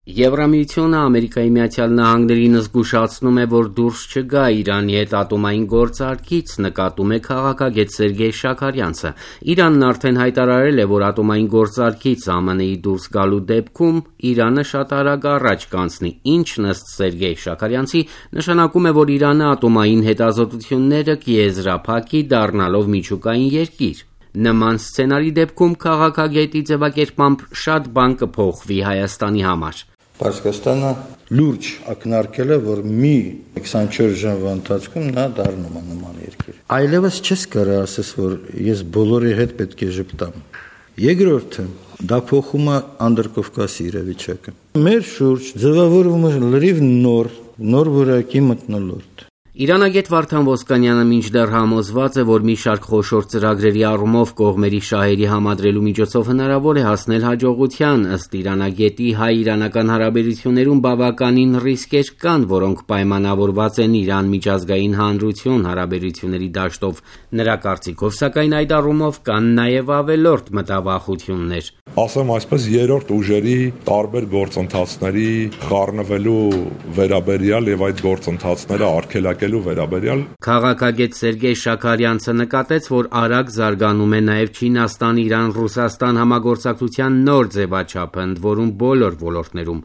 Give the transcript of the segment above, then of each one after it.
Եվրամիությունը Ամերիկայի Միացյալ Նահանգներին զգուշացնում է, որ դուրս չգա Իրանի հետ ատոմային գործարքից, նկատում է քաղաքագետ Սերգեյ Շաքարյանցը։ Իրանն արդեն հայտարարել է, որ ատոմային գործարքից ԱՄՆ-ի դուրս գալու դեպքում Իրանը շատ արագ առաջ կանցնի, ինչն ըստ Սերգեյ Շաքարյանցի նշանակում է, որ Իրանը ատոմային հետազոտությունները կեզրափակի, դառնալով միջուկային երկիր։ Նման սցենարի դեպքում քաղաքագետի ձևակերպմամբ շատ բան կփոխվի Հայաստանի համար։ Պարսկաստանը լուրջ ակնարկել է, որ մի 24 ժամվա ընթացքում նա դառնում է նման երկիր։ Այլևս չես կարող ասես, որ ես բոլորի հետ պետք է ժպտամ։ Երկրորդը, դա փոխում է Անդրկովկասի իրավիճակը։ Մեր շուրջ ձևավորվում է լրիվ նոր որակի մթնոլորտ։ Իրանագետ Վարդան Ոսկանյանը մինչդեռ համոզված է, որ մի շարք խոշոր ծրագրերի առումով կողմերի շահերի համադրելու միջոցով հնարավոր է հասնել հաջողության, ըստ իրանագետի հայ-իրանական հարաբերություններում բավականին ռիսկեր կան, որոնք պայմանավորված են Իրան միջազգային հանրություն հարաբերությունների դաշտով։ Նրա կարծիքով, սակայն այդ առումով կան նաև ավելորդ մտավախություններ։ Ասեմ այսպես, երրորդ ուժերի տարբեր գործընթացների խառնվելու վերաբերյալ եւ այդ գործընթացները արգելակելու վերաբերյալ Քաղաքագետ Սերգեյ Շաքարյանցը նկատեց, որ արագ զարգանում է նաև Չինաստան-Իրան-Ռուսաստան համագործակցության նոր ձևաչափը, ընդ որում բոլոր ոլորտներում։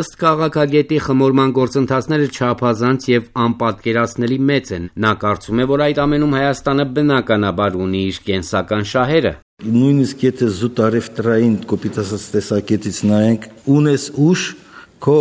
Ըստ քաղաքագետի, խմորման գործընթացները չափազանց եւ անպատկերացնելի մեծ են։ Նա կարծում է, որ այդ ամենում Հայաստանը բնականաբար ունի իր կենսական շահերը։ Նույնիսկ եթե զուտարևտրային կոպիտ ասած տեսակետից նայենք, ունես ուժ, քո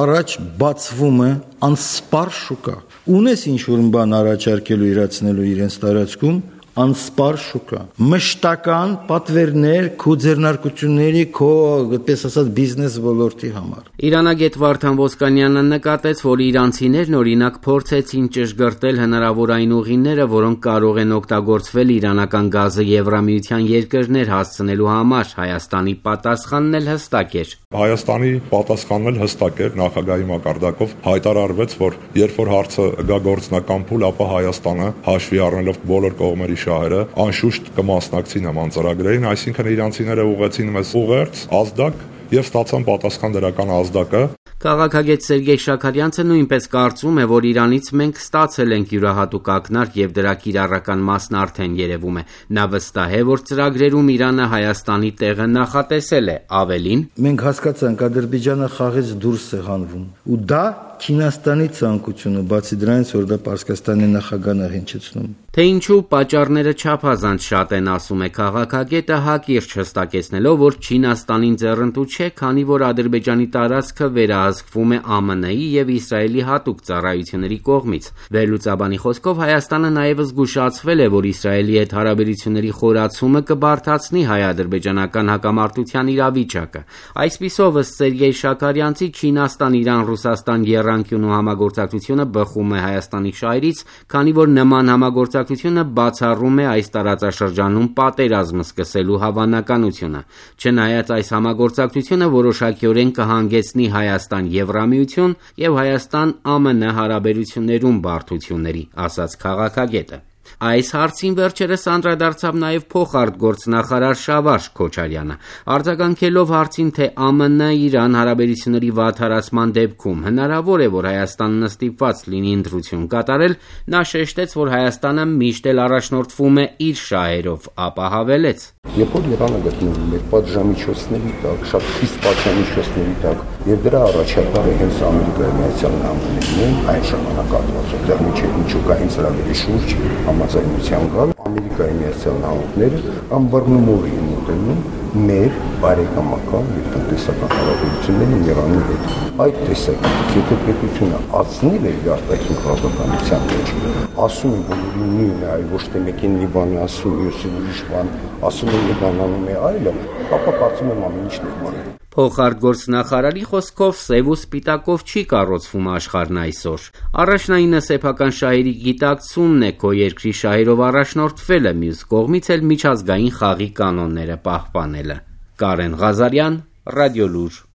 առաջ բացվում է անսպար շուկա։ Ունես ինչ-որ բան առաջարկելու իրացնելու իրենց տարածքում, անսպար շուկա։ Մշտական պատվերներ քո ձեռնարկությունների, քո, այդպես ասած, բիզնես ոլորտի համար։ Իրանագետ Վարդան Ոսկանյանը նկատեց, որ իրանցիներն օրինակ փորձեցին ճշգրտել հնարավոր այն ուղիները, որոնք կարող են օգտագործվել իրանական գազը Եվրամիության երկրներ հասցնելու համար։ Հայաստանի պատասխանն էլ հստակ էր։ Հայաստանի պատասխանն էլ հստակ էր, նախագահի մակարդակով հայտարարվեց, որ երբ որ հարցը գա գործնական փուլ, ապա Հայաստանը հաշվի առնելով բոլոր կողմերի շահերը անշուշտ կմասնակցի նման ծրագրերին, այսինքն իրանցիները ուղղեցին մեզ ուղերձ, ազդակ եւ ստացան պատասխան դրական ազդակը։ Քաղաքագետ Սերգեյ Շաքարյանցը նույնպես կարծում է, որ Իրանից մենք ստացել ենք յուրահատուկ ակնարկ եւ դրա կիրառական մասն արդեն երևում է։ Նա վստահ է, որ ծրագրերում Իրանը Հայաստանի տեղը նախատեսել է, ավելին. Մենք հասկացանք, Ադրբեջանը խաղից դուրս է հանվում, ու դա Չինաստանի ցանկությունը, բացի դրանից, որ դա Պարսկաստանի նախագահն է հնչեցնում։ Թե ինչու պատճառները չափազանց շատ են, ասում է քաղաքագետը, հակիրճ հստակեցնելով, որ Չինաստանին ձեռնտու չէ, քանի որ Ադրբեջանի տարածքը վերահսկվում է ԱՄՆ-ի եւ Իսրայելի հատուկ ծառայությունների կողմից։ Վերլուծաբանի խոսքով Հայաստանը նաեւ զգուշացվել է, որ Իսրայելի հետ հարաբերությունների խորացումը կբարդացնի հայ-ադրբեջանական հակամարտության իրավիճակը։ Այսպիսով, ըստ Սերգեյ Շաքարյանցի, Չինաստան-Իրան-Ռուսաստան եռանկյունու համագործակցությունը բխում է Հայաստանի շահերից, քանի որ նման համագործակցությունը բացառում է այս տարածաշրջանում պատերազմ սկսելու հավանականությունը։ Չնայած այս համագործակցությունը որոշակիորեն կհանգեցնի Հայաստան-Եվրամիություն եւ Հայաստան-ԱՄՆ հարաբերություններում բարդությունների, ասաց քաղաքագետը։ Այս հարցին վերջերս անդրադարձավ նաև փոխարտգործնախարար Շավարժ Քոչարյանը։ Արձագանքելով հարցին, թե ԱՄՆ-Իրան հարաբերությունների վատթարացման դեպքում հնարավոր է, որ Հայաստանն ստիպված լինի ընտրություն կատարել, նա շեշտեց, որ Հայաստանը միշտ էլ առաջնորդվում է իր շահերով, ապա հավելեց. Երբ որ Իրանը գտնվում է պատժամիջոցների տակ, շատ խիստ պատժամիջոցների տակ, եւ դրա առաջատարը հենց Ամերիկայի Միացյալ Նահանգներն են, այն ժամանակահատվածում դեռ միջուկային ծրագրերի շուրջ համաձայնության գալ, Ամերիկայի Միացյալ Նահանգները անբռնումով են մոտենում մեր բարեկամական եւ տնտեսական հարաբերություններին Իրանի հետ։ Այդ տեսակետից, եթե պետությունը ածնի իր արտաքին քաղաքականության մեջ, ասում են, որ նույնն է, այլ ոչ թե մեկին մի բան ասում, մյուսին ուրիշ բան, ասում են մի բան անում է այլը, ապա կարծում եմ ամեն ինչ նորմալ է։ Փոխարտգործնախարարի խոսքով սև ու սպիտակով չի կառուցվում աշխարհն այսօր։ Առաջնայինը սեփական շահերի գիտակցումն է, քո երկրի շահերով առաջնորդվելը, մյուս կողմից էլ միջազգային խաղի կանոնները պահպանելը։ Կարեն Ղազարյան, Ռադիոլուր։